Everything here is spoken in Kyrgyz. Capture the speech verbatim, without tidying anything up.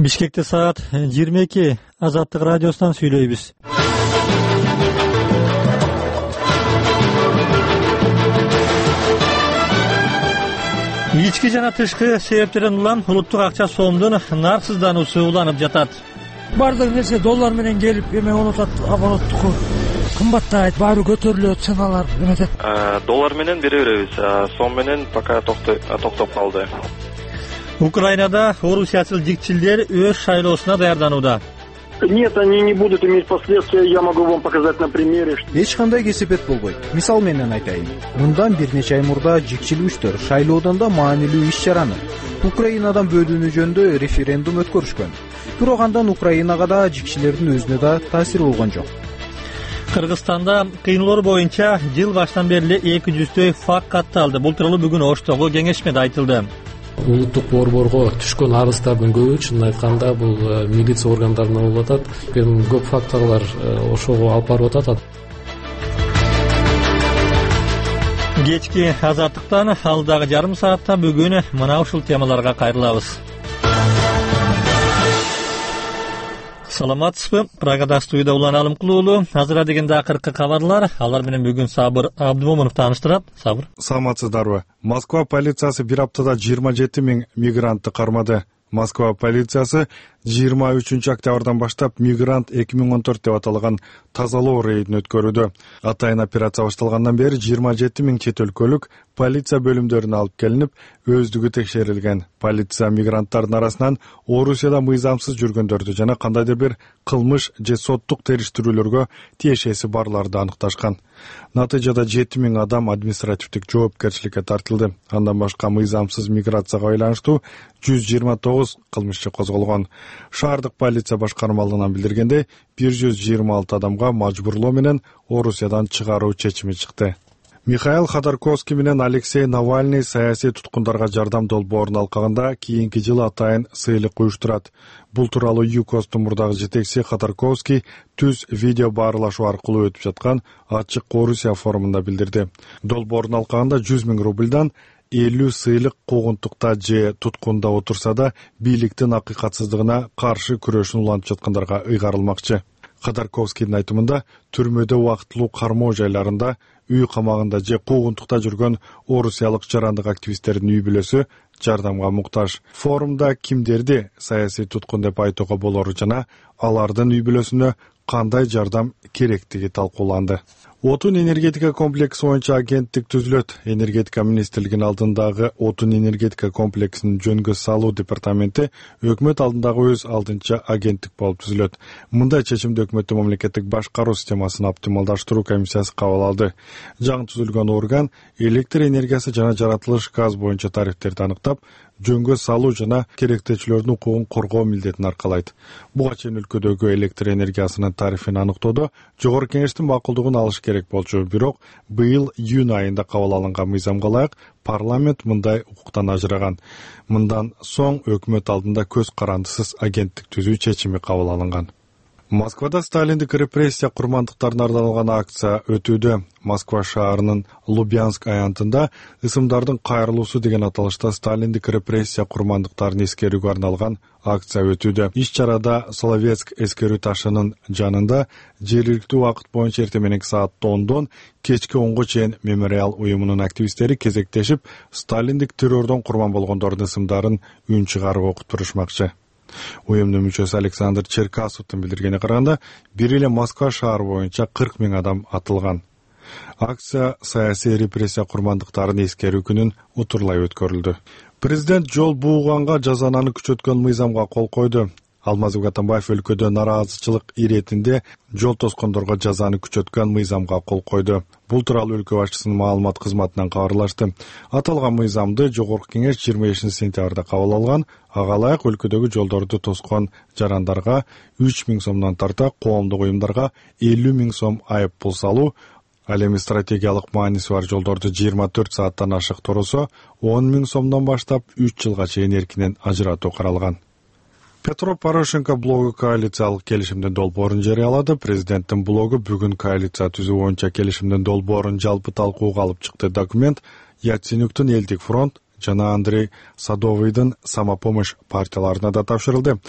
Бишкекте саат жыйырма эки. Азаттык радиосунан сүйлөйбүз. Ички жана тышкы себептерден улам улуттук акча сомдун нарсыздануусу уланып жатат. Бардык нерсе доллар менен келип эме болуп атат, обороттуку кымбаттайт, баары көтөрүлөт, ценалар эметет. Доллар менен бере беребиз, сом менен пока токтоп калды. Украинада орусиячыл жигчилдер өз шайлоосуна даярданууда. Нет, они не будут иметь последствия, я могу вам показать на примере. Эч кандай кесепет болбойт. Мисал менен айтайын. Мындан бир нече ай мурда жигчил күчтөр шайлоодон да маанилүү иш-чараны Украинадан бөлүнүү жөнүндө референдум өткөрүшкөн. Бирок андан Украинага да жигчилердин өзүнө да таасири болгон жок. Кыргызстанда кыйноолор боюнча жыл башынан бери эле эки жүздөй факт катталды. Бул тууралуу бүгүн Оштогу кеңешмеде айтылды. Улуттук борборго түшкөн арыздардын көбү чынын айтканда бул милиция органдарына болуп атат. Эми көп факторлор ошого алып барып атат. Кечки азаттыктан алдагы жарым саатта бүгүн мына ушул темаларга кайрылабыз. Саламатсызбы? Прагада студияда Улан Алымкулуулу. Азыр дегенде акыркы кабарлар. Алар менен бүгүн Сабыр Абдымомунов тааныштырат. Сабыр. Саламатсыздарбы? Москва полициясы бир аптада жыйырма жети миң мигрантты кармады. Москва полициясы жыйырма үчүнчү октябрдан баштап мигрант эки миң он төрт деп аталган тазалоо рейдин өткөрүүдө. Атайын операция башталгандан бери жыйырма жети миң чет өлкөлүк полиция бөлүмдөрүнө алып келинип, өздүгү текшерилген. Полиция мигранттардын арасынан Орусияда мыйзамсыз жүргөндөрдү жана кандайдыр бир кылмыш же соттук териштирүүлөргө тиешеси барларды аныкташкан. Натыйжада жети миң адам административдик жоопкерчиликке тартылды. Андан башка мыйзамсыз миграцияга байланыштуу жүз жыйырма тогуз кылмыш козголгон. Шаардык полиция башкармалыгынан билдиргендей, бир жүз жыйырма алты адамга мажбурлоо менен Орусиядан чыгаруу чечими чыкты. Михаил Ходорковский менен Алексей Навальный саясий туткундарга жардам долбоорун алкагында кийинки жылы атайын сыйлык уюштурат. Бул тууралуу ЮКОСтун мурдагы жетекчиси Ходорковский түз видео баарлашуу аркылуу өтүп жаткан ачык Орусия форумунда билдирди. Долбоорун алкагында жүз миң рубльдан элүү сыйлык куугунтукта же туткунда отурса да бийликтин акыйкатсыздыгына каршы күрөшүн улантып жаткандарга ыйгарылмакчы. Ходорковскийдин айтымында түрмөдө убактылуу кармоо жайларында, үй камагында же куугунтукта жүргөн орусиялык жарандык активисттердин үй бүлөсү жардамга муктаж. Форумда кимдерди саясий туткун деп айтууга болору жана алардын үй бүлөсүнө кандай жардам керектиги талкууланды. Отун энергетика комплекси боюнча агенттик түзүлөт. Энергетика министрлигинин алдындагы отун энергетика комплексин жөнгө салуу департаменти өкмөт алдындагы өз алдынча агенттик болуп түзүлөт. Мындай чечимди өкмөттүн мамлекеттик башкаруу системасын оптималдаштыруу комиссиясы кабыл алды. Жаңы түзүлгөн орган электр энергиясы жана жаратылыш газ боюнча тарифтерди аныктап, жөнгө салуу жана керектечилердин укугун коргоо милдетин аркалайт. Буга чейин өлкөдөгү электр энергиясынын тарифин аныктоодо жогорку кеңештин макулдугун алыш керек болчу. Бирок быйыл июнь айында кабыл алынган мыйзамга ылайык парламент мындай укуктан ажыраган. Мындан соң өкмөт алдында көз карандысыз агенттик түзүү чечими кабыл алынган. Москвада сталиндик репрессия курмандыктарына арналган акция өтүүдө. Москва шаарынын Лубянск аянтында ысымдардын кайрылуусу деген аталышта сталиндик репрессия курмандыктарын эскерүүгө арналган акция өтүүдө. Иш-чарада Соловецк эскерүү ташынын жанында жергиликтүү убакыт боюнча эртең мененки саат ондон кечки онго чейин мемориал уюмунун активисттери кезектешип, сталиндик террордон курман болгондордун ысымдарын үн чыгарып окуп турушмакчы. Уюмдун мүчөсү Александр Черкасовдун билдиргенине караганда, бир эле Москва шаары боюнча кырк миң адам атылган. Акция саясий репрессия курмандыктарын эскерүү күнүн утурлай өткөрүлдү. Президент жол бууганга жазананы күчөткөн мыйзамга кол койду. Алмазбек Атамбаев өлкөдө нараазычылык иретинде жол тоскондорго жазаны күчөткөн мыйзамга кол койду. Бул тууралуу өлкө башчысынын маалымат кызматынан кабарлашты. Аталган мыйзамды жогорку кеңеш жыйырма бешинчи сентябрда кабыл алган. Ага ылайык өлкөдөгү жолдорду тоскон жарандарга үч миң сомдон тарта, коомдук уюмдарга элүү миң сом айып пул салуу, ал эми стратегиялык мааниси бар жолдорду жыйырма төрт сааттан ашык торосо он миң сомдон баштап үч жылга чейин эркинен ажыратуу каралган. Петро Порошенко блогу коалициялык келишимдин долбоорун жарыялады. Президенттин блогу бүгүн коалиция түзүү боюнча келишимдин долбоорун жалпы талкууга алып чыкты. Документ Яценюктун Элдик фронт жана Андрей Садовыйдын Самопомощь партияларына да тапшырылды.